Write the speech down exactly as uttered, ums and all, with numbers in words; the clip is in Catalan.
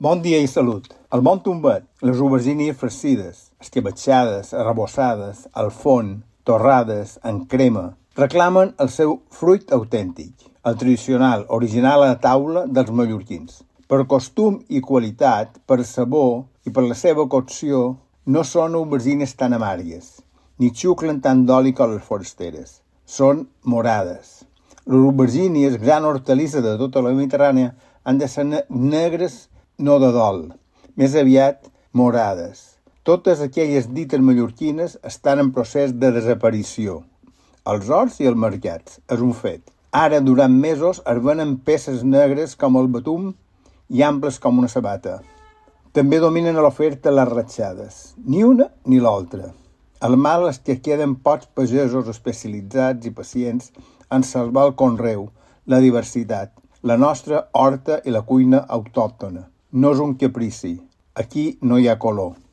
Bon dia i salut. El bon tombet, les aubergínies farcides, escabetxades, arrebossades, al forn, torrades, en crema, reclamen el seu fruit autèntic, el tradicional, original a la taula dels mallorquins. Per costum i qualitat, per sabor i per la seva cocció, no són aubergines tan amargues, ni xuclen tant d'oli com les forasteres. Són morades. Les aubergínies, gran hortalissa de tota la Mediterrània, han de ser negres, no de dol, més aviat morades. Totes aquelles dites mallorquines estan en procés de desaparició. Els horts i els mercats, és un fet. Ara, durant mesos, es venen peces negres com el betum i amples com una sabata. També dominen a l'oferta les ratxades, ni una ni l'altra. El mal és que queden pocs pagesos especialitzats i pacients en salvar el conreu, la diversitat, la nostra horta i la cuina autòctona. No és un caprici. Aquí no hi ha color.